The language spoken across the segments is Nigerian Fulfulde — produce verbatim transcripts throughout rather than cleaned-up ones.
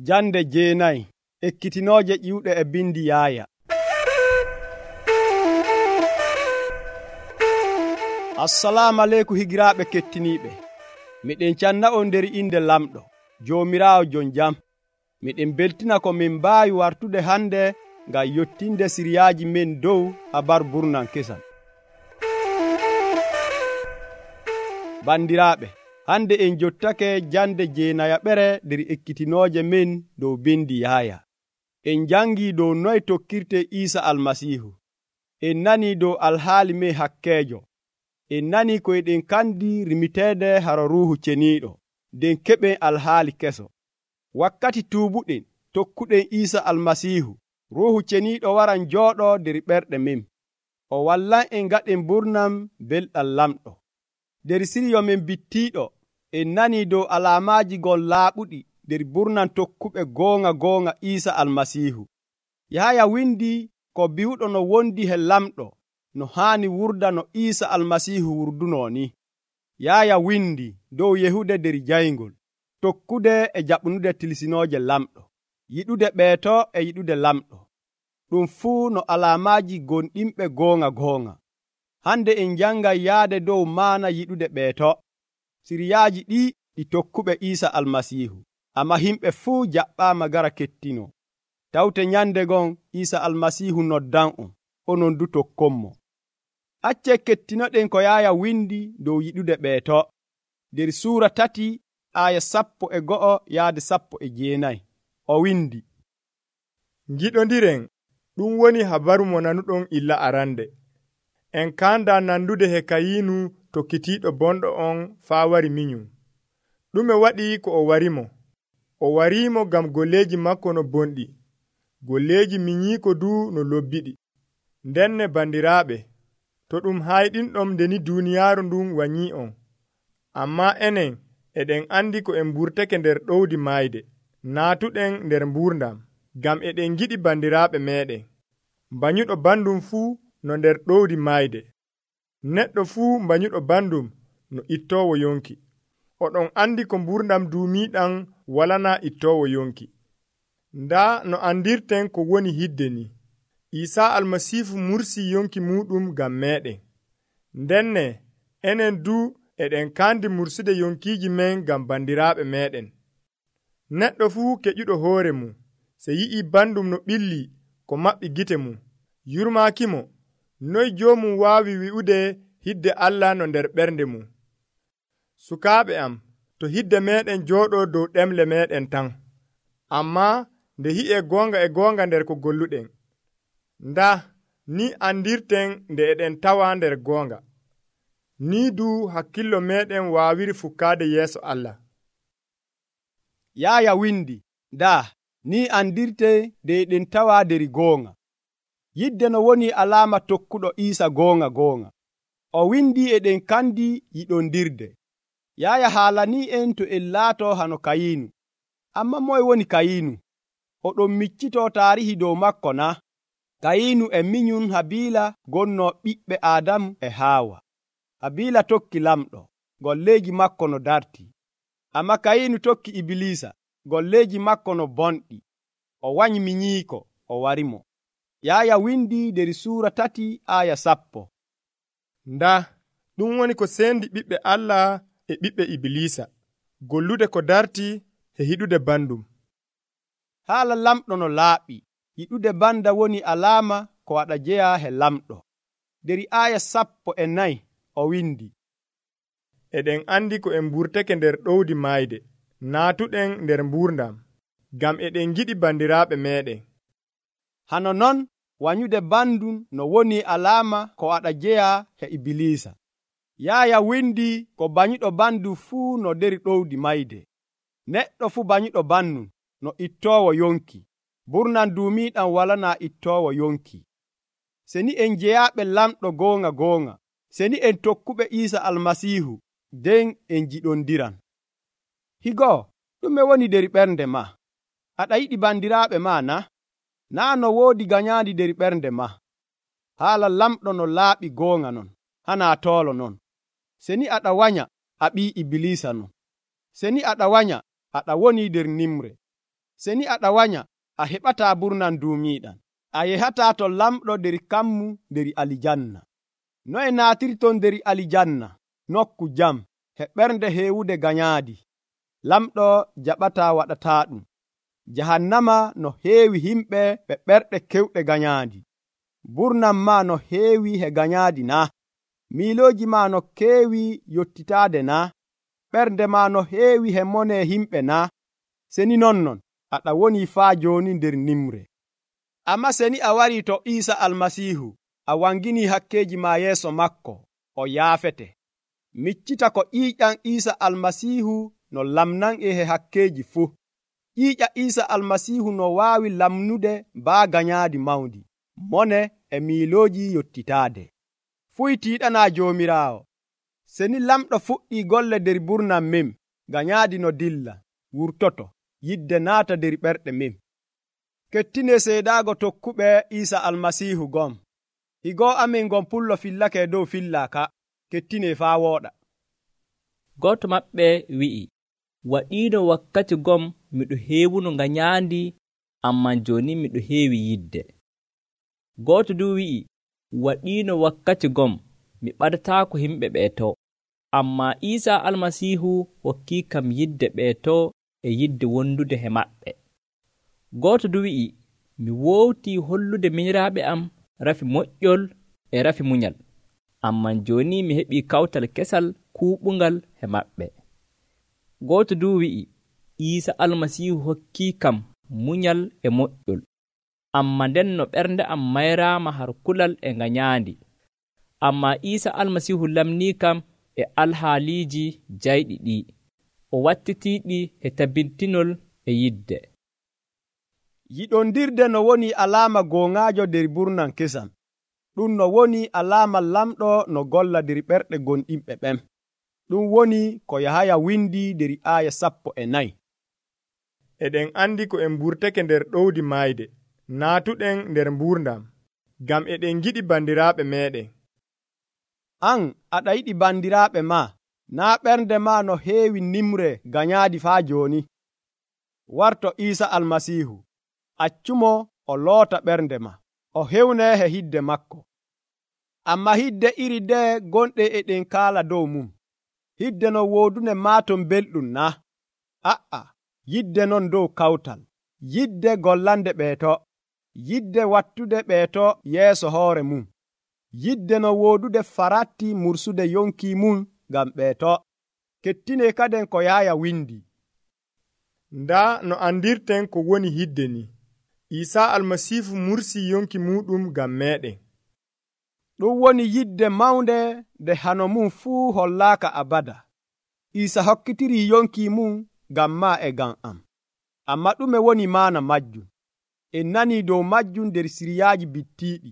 Jande jeenayi ekkitinooje ƴiwɗe e bindi Yaaya. Assalamu aleykum higiraaɓe kettiniiɓe. Miɗen canna'on nder inde lamɗo, Joomiraawo jon jam. Miɗen beltina ko min mbaawi wartude hande ngam yottinde siriyaaji men dow habaru burnan kesam. Bandiraaɓe, hande en jottake jande jeenayaɓere nder ekkitinooje men dow bindi Yaaya. En jangii dow noye tokkirte Iisa Almasiihu. En nanii dow alhaali men hakkeejo. En nanii ko eɗen kandi rimiteede haro Ruuhu Ceniiɗo, nden keɓen alhaali keso. Wakkati tuubuɗen, tokkuɗen Iisa Almasiihu, Ruuhu Ceniiɗo waran jooɗoo nder ɓerɗe men. O wallan'en gaɗen burnam belɗam lamɗo. Nder siryo men bittiiɗo, en nanii dow alaamaaji gon laaɓuɗi nder burnan tokkuɓe goonga goonga Iisa Almasiihu. Yaaya windi ko bi'uɗo no wondi he lamɗo no haani wurda no Iisa Almasiihu wurdunoo ni. Yaaya windi dow yehude nder jayngol, tokkude e jaɓnude tilsinooje lamɗo, yiɗude ɓeeto e yiɗude lamɗo. Ɗum fuu no alaamaaji gonɗinɓe goonga goonga. Hande en jangay yaade dow maana yiɗude ɓeeto. Siriyaaji ɗi ɗi tokkuɓe Iisa Almasiihu, amma himɓe fuu jaɓɓaama gara kettino. Tawte nyande gon Iisa Almasiihu noddan'on, onon du tokkonmo. Acce kettinoɗen ko Yaaya windi dow yiɗude ɓeeto. Nder suura tati aya sappo e go'o yaade sappo e jeenayi. O windi, Ngiɗondiren, ɗum woni habaru mo nanuɗon illa arande. En kanda nandude he Kayinu tokkitiiɗo bonɗo on faa wari minyum. Ɗume waɗi ko o warimo? O warimo ngam golleeji makko no bonɗi. Golleeji minyiiko du no lobbiɗi. Ndenne bandiraaɓe, to ɗum hayɗinɗom ndeni duuniyaaru ndun wanyii on. Amma enen eɗen andi ko en mburtake nder ɗowdi mayde, naatuɗen nder mburdam, ngam eɗen giɗi bandiraaɓe meɗen. Mbanyuɗo bandum fuu no nder ɗowdi mayde. Neɗɗo fuu mbanyuɗo bandum no ittoowo yonki. Oɗon andi ko mburdam duumiiɗam walana ittoowo yonki. Ndaa no andirten ko woni hidde ni. Iisaa Almasiihu mursii yonki muɗum ngam meɗen. Ndenne enen du eɗen kandi mursude yonkiiji men ngam bandiraaɓe meɗen. Neɗɗo fuu keƴuɗo hoore mum, se yi'ii bandum no ɓilli ko maɓɓi gite mum, yurmaakimo, noy joomum waawi wi'ude hidde Allah no nder ɓernde mum? Sukaaɓe am, to hidde meɗen jooɗoo dow ɗemle meɗen tan, ammaa nde hi'e goonga e goonga nder ko golluɗen. Ndaa, ni andirten nde eɗen tawa nder goonga. Ni du hakkillo meɗen waawiri fukkaade yeeso Allah. Yaaya windi, daa, ni andirte nde eɗen tawa nder goonga. Yidde no woni alaama tokkuɗo Iisa goonga goonga. O windi eɗen kandi yiɗondirde. Yaaya haalanii en to en laato hano Kayinu. Amma moye woni Kayinu? Oɗon miccitoo taarihi dow makko na? Kayinu e minyum Habiila gonnoo ɓiɓɓe Aadamu e Haawa. Habiila tokki lamɗo, golleeji makko no dartii. Amma Kayinu tokki Ibilisa, golleeji makko no bonɗi. O wanyi minyiiko, o warimo. Yaaya windi nder suura tati aya sappo. Ndaa, ɗum woni ko sendi ɓiɓɓe Allah e ɓiɓɓe Ibilisa, gollude ko dartii e hiɗude bandum. Haala lamɗo no laaɓi, yiɗude banda woni alaama ko waɗa jeya he lamɗo. Nder aya sappo e nayi o windi, eɗen andi ko en mburtake nder ɗowdi mayde, naatuɗen nder mburdam, ngam eɗen giɗi bandiraaɓe meɗen. Hano non wanyude bandum no woni alaama ko waɗa jeya he Ibilisa. Yaaya windi ko banyuɗo bandum fuu no nder ɗowdi mayde. Neɗɗo fuu banyuɗo bandum no ittoowo yonki. Burnan duumiiɗam walana ittoowo yonki. Seni en jeyaaɓe lamɗo goonga goonga, seni en tokkuɓe Iisa Almasiihu, nden en jiɗondiran. Higo, ɗume woni nder ɓernde ma? Aɗa yiɗi bandiraaɓe ma na? Naa no woodi ganyaandi nder ɓernde ma. Haala lamɗo no laaɓi goonga non, hanaa toolo non. Seni aɗa wanya, a ɓii Ibilisa non. Seni aɗa wanya, aɗa woni nder nimre. seni aɗa wanya a heɓataa burnan duumiiɗan. A yehataa to lamɗo der kammu der alijanna. Noye naatirton der alijanna, nokku jam, he ɓernde heewude ganyaadi. Lamɗo jaɓataa waɗataa ɗum. Jahannama no heewi himɓe ɓe ɓerɗe kewɗe ganyaadi. Burnan maa no heewi he ganyaadi na? Miilooji maa no keewi yottitaade na? Ɓernde maa no heewi he monee himɓe na? Seni nonnon aɗa woni faa jooni nder nimre. Amma seni a warii to Iisa Almasiihu, a wanginii hakkeeji maa yeeso makko, o yaafete. Miccita ko ƴiiƴam Iisa Almasiihu no lamnan'e he hakkeeji fuu. Ƴiiƴa Iisa Almasiihu no waawi lamnude baa ganyaadi mawndi, mone e miilooji yottitaade. Fuy tiiɗanaa Joomiraawo. Seni lamɗo fuɗɗii golle der burnan mem, ganyaadi no dilla, wurtoto, yidde naata der ɓerɗe mem. Kettinee seedaago tokkuɓe Iisa Almasiihu gom. Higoo amin gon pullo fillake dow fillaaka. Kettinee faa wooɗa. Gooto maɓɓe wi'i, waɗiino wakkati gom miɗo heewuno ganyaandi, amman jooni miɗo heewi yidde. Gooto du wi'i, waɗiino wakkati gom mi ɓadataako himɓe ɓeeto, amma Iisa Almasiihu hokkii kam yidde ɓeeto e yidde wondude he maɓɓe. Gooto du wi'i, mi woowtii hollude minyiraaɓe am rafi moƴƴol e rafi munyal, amman jooni mi heɓii kawtal kesal kuuɓungal he maɓɓe. Gooto du wi'i, Iisa Almasiihu hokkii kam munyal e moƴƴol, amma nden no ɓernde am mayraama har kulal e ganyaandi. Amma Iisa Almasiihu lamnii kam e alhaaliiji jayɗi ɗi, o wattitiiɗi e tabbintinol e yidde. Yiɗondirde no woni alaama gooŋaajo der burnan kesam. Ɗum no woni alaama lamɗo no golla der ɓerɗe gonɗinɓe ɓen. Ɗum woni ko Yahaya windi der aaya sappo e nayi. Eɗen andi ko en mburtake nder ɗowdi maayde, naatuɗen nder mburdam, ngam eɗen giɗi bandiraaɓe meeɗen. An aɗa yiɗi bandiraaɓe maa, naa ɓernde maa no heewi nimre ganyaadi faa jooni. Warto Iisa Almasiihu, accumo o loota ɓernde ma, o hewnee he hidde makko. Amma hidde iri ndee gonɗe eɗen kaala dow mum. Hidde no woodune maaton belɗum na? A'a, yidde non dow kawtal, yidde gollande ɓeeto, yidde wattude ɓeeto yeeso hoore mum, yidde no woodude faratti mursude yonki mum ngam ɓeeto. Kettinee kaden ko Yahaya windi. Ndaa no andirten ko woni hidde ni. Iisa Almasiihu mursii yonki muɗum ngam meeɗen. Ɗum woni yidde mawnde nde hano mum fuu hollaaka abada. Iisa hokkitirii yonki mum ngam maa e ngam am. Amma ɗume woni maana majjum? En nanii dow majjum nder siriyaaji bittiiɗi.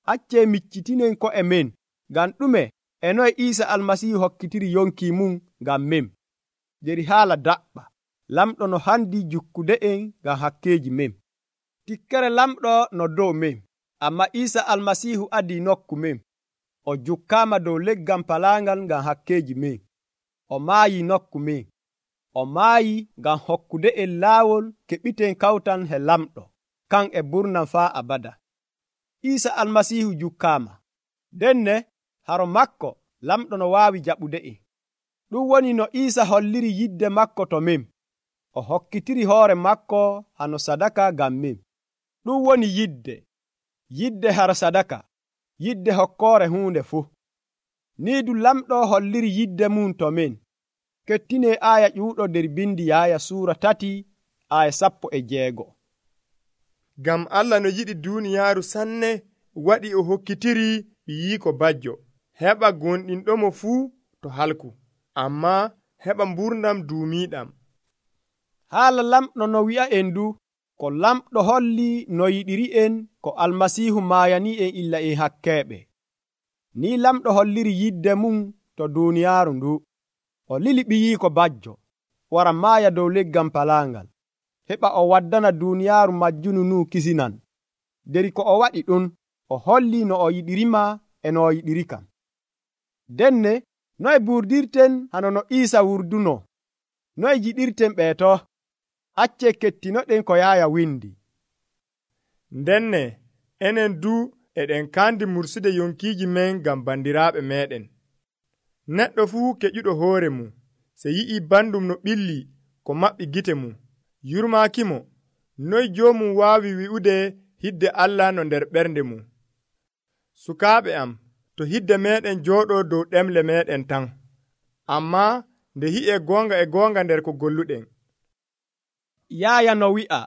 Accee miccitinen ko'e men, ngam ɗume e noye Iisa Almasiihu hokkitiri yonki mum ngam men. Der haala daɓɓa, lamɗo no handi jukkude en ngam hakkeeji men. Tikkere lamɗo no dow men, amma Iisa Almasiihu adii nokku men. O jukkaama dow leggal palaangal ngam hakkeeji men. O maayi nokku men. O maayi ngam hokkude en laawol keɓiten kawtan he lamɗo, kan e burnan faa abada. Iisa Almasiihu jukkaama. Denne haro makko lamɗo no waawi jaɓude en. Ɗum woni no Iisa holliri yidde makko to men. O hokkitiri hoore makko hano sadaka ngam men. Ɗum woni yidde, yidde hara sadaka, yidde hokkoore huunde fuu. Nii du lamɗo holliri yidde mum to men. Kettinee aaya ƴuuɗo der bindi Yahaya suura tati aaya sappo e jeego. Ngam Allah no yiɗi duuniyaaru sanne waɗi o hokkitiri ɓiyiiko bajjo, heɓa gonɗinɗomo fuu to halku, amma heɓa mburdam duumiiɗam. Haala lamɗo no wi'a en du, ko lamɗo holli no yiɗiri en ko Almasiihu maayani en illa en hakkeeɓe. Ni lamɗo holliri yidde mum to duuniyaaru ndu. O lili ɓiyiiko bajjo wara maaya dow leggal palaangal, heɓa o waddana duuniyaaru majjunu nu kisinan. Deri ko o waɗi ɗum, o holli no o yiɗirima e no o yiɗiri kam. Denne noye burdirten hano no Iisa wurduno? Noye jiɗirten ɓeeto? Acce kettinoɗen ko Yaaya windi. Ndenne enen du eɗen kandi mursude yonkiiji men ngam bandiraaɓe meɗen. Neɗɗo fuu keƴuɗo hoore mum, se yi'ii bandum no ɓilli ko maɓɓi gite mum, yurmaakimo, noy joomum waawi wi'ude hidde Allah no nder ɓernde mum. Sukaaɓe am, to hidde meɗen jooɗoo dow ɗemle meɗen tan, ammaa nde hi'e goonga e goonga nder ko golluɗen. Yaaya no wi'a,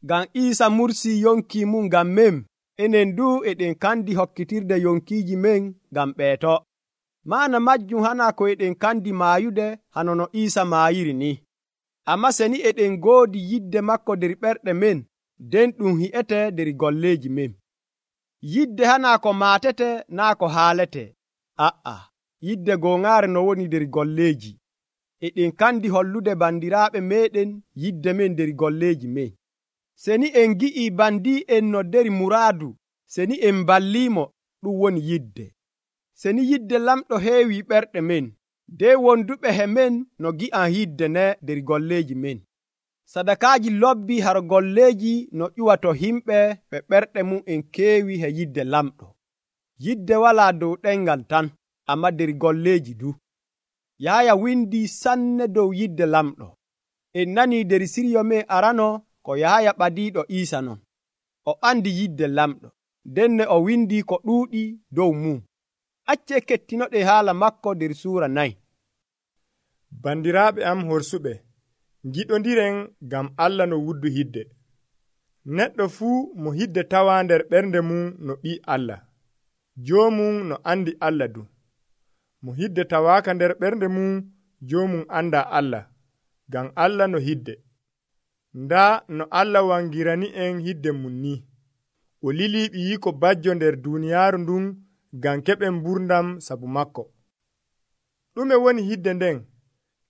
ngam Iisa mursii yonki mum ngam men, enen du eɗen kandi hokkitirde yonkiiji men ngam ɓeeto. Maana majjum hana ko eɗen kandi maayude hano no Iisa maayiri ni. Amma seni eɗen goodi yidde makko der ɓerɗe men, nden ɗum hi'ete der golleeji men. Yidde hana ko maatete naa ko haalete. A'a, yidde gooŋaare no woni der golleeji. Eɗen kandi hollude bandiraaɓe meɗen yidde men der golleeji men. Seni en gi'ii bandi'en no der muraadu, seni en balliimo, ɗum woni yidde. Seni yidde lamɗo heewi ɓerɗe men, de wonduɓe he men no gi'an yidde ne der golleeji men. Sadakaaji lobbi har golleeji no ƴuwato himɓe ɓe ɓerɗe mum en keewi he yidde lamɗo. Yidde walaa dow ɗengal tan, amma der golleeji du. Yaaya windi sanne dow yidde lamɗo. En nanii der siryo men arano ko Yaaya ɓadiiɗo Iisa non. O andi yidde lamɗo, denne o windi ko ɗuuɗi dow mum. Acce kettinoɗe haala makko der suura nayi. Bandiraaɓe am horsuɓe, giɗondiren ngam Allah no wuddu hidde. Neɗɗo fuu mo hidde tawa nder ɓernde mum no ɓii Allah, joomum no andi Allah du. Mo hidde tawaaka nder ɓernde mum, joomum anda Allah, ngam Allah no hidde. Ndaa no Allah wangirani en hidde mum ni. O lilii ɓiyiiko bajjo nder duuniyaaru ndun ngam keɓen mburdam sabu makko. Ɗume woni hidde nden?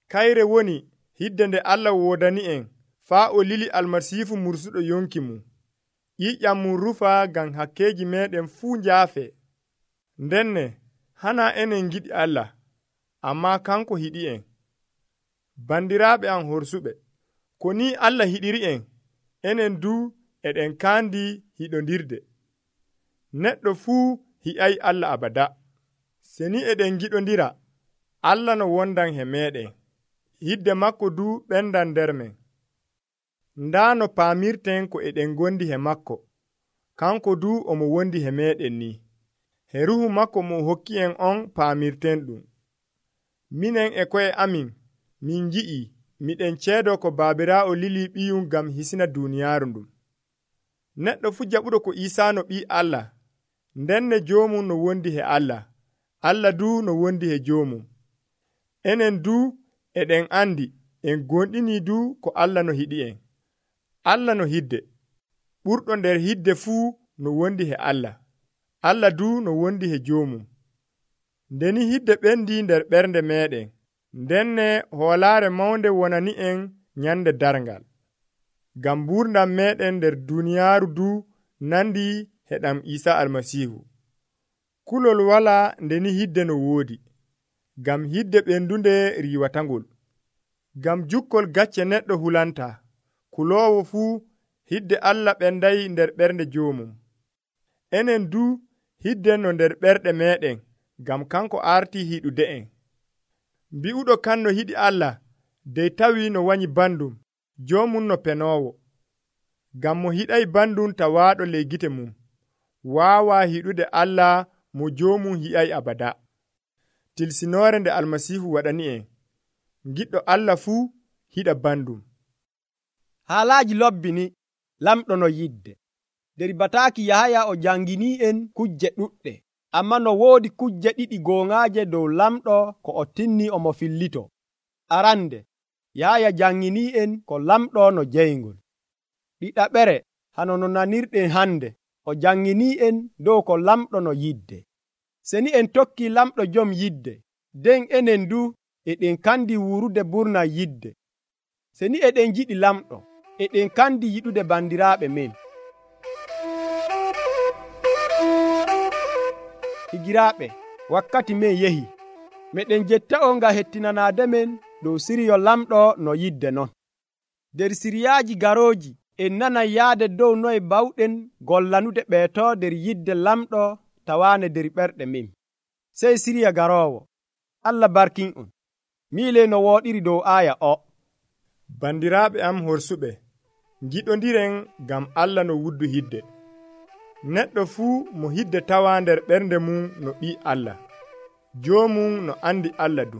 Kayre woni hidde nde Allah woodani en faa o lili Almasiihu mursuɗo yonki mum. ƴiƴam mum rufa ngam hakkeeji meɗen fuu njaafe. Ndenne hana enen giɗi Allah, ammaa kanko hiɗi en. Bandiraaɓe am horsuɓe, ko ni Allah hiɗiri en, enen du eɗen kaandi hiɗondirde. Neɗɗo fuu hi'ay Allah abada. Seni eɗen giɗondira, Allah no wondan he meɗen, hidde makko du ɓendan nder men. Ndaa no paamirten ko eɗen gondi he makko, kanko du omo wondi he meɗen ni. He ruhu makko mo hokki en on paamirten ɗum. Minen e ko'e amin, min ngi'i miɗen ceedo ko Baabiraawo lili ɓiyum ngam hisina duuniyaaru ndum. Neɗɗo fu jaɓuɗo ko Iisaa no ɓii Allah, ndenne joomum no wondi he Allah, Allah du no wondi he joomum. Enen du eɗen andi en gonɗini du ko Allah no hiɗi en. Allah no hidde, ɓurɗo nder hidde fuu no wondi he Allah, Allah du no wondi he joomum. Ndeni hidde ɓendi nder ɓernde meɗen, ndenne hoolaare mawnde wonani en nyande darngal. Ngam mburdam meɗen nder duniyaaru du nandi he ɗam Iisa Almasiihu. Kulol wala ndeni hidde no woodi, ngam hidde ɓendunde riiwatangol. Ngam jukkol gacce neɗɗo hulanta, kuloowo fuu hidde Allah ɓenday nder ɓernde joomum. Enen du hidden no nder ɓerɗe meɗen, ngam kanko arti hiɗude en. Mbi'uɗo kan no hiɗi Allah, dey tawi no wanyi bandum, joomum no penoowo. Ngam mo hiɗay bandum tawaaɗo ley gite mum, waawaa hiɗude Allah mo joomum hi'ay abada. Tilsinoore nde Almasiihu waɗani en, giɗɗo Allah fuu hiɗa bandum. Haalaaji lobbi ni lamɗo no yidde. Der bataaki Yahaya o jangini en kujje ɗuɗɗe, amma no woodi kujje ɗiɗi gooŋaaje dow lamɗo ko o tinni omo fillito. Arande, Yahaya jangini en ko lamɗo no jeyngol. Ɗiɗaɓere, hano no nanirɗen hande, o jangini en dow ko lamɗo no yidde. Seni en tokki lamɗo jom yidde, den enen du eɗen kandi wurude burna yidde. Seni eɗen jiɗi lamɗo, eɗen kandi yiɗude bandiraaɓe men. Higiraaɓe, wakkati men yehi, meɗen jetta on nga hettinanaade men dow siryo lamɗo no yidde non. nder siriyaaji garooji en nanan yaade dow noye bawɗen gollanude ɓeeto nder yidde lamɗo tawaane nder ɓerɗe min. Sey siriya garoowo. Allah barkin'on. Miile no wooɗiri dow aaya o. Bandiraaɓe am horsuɓe, ngiɗondiren ngam Allah no wuddu hidde. Neɗɗo fuu mo hidde tawa nder ɓernde mum no ɓii Allah, joomum no andi Allah du.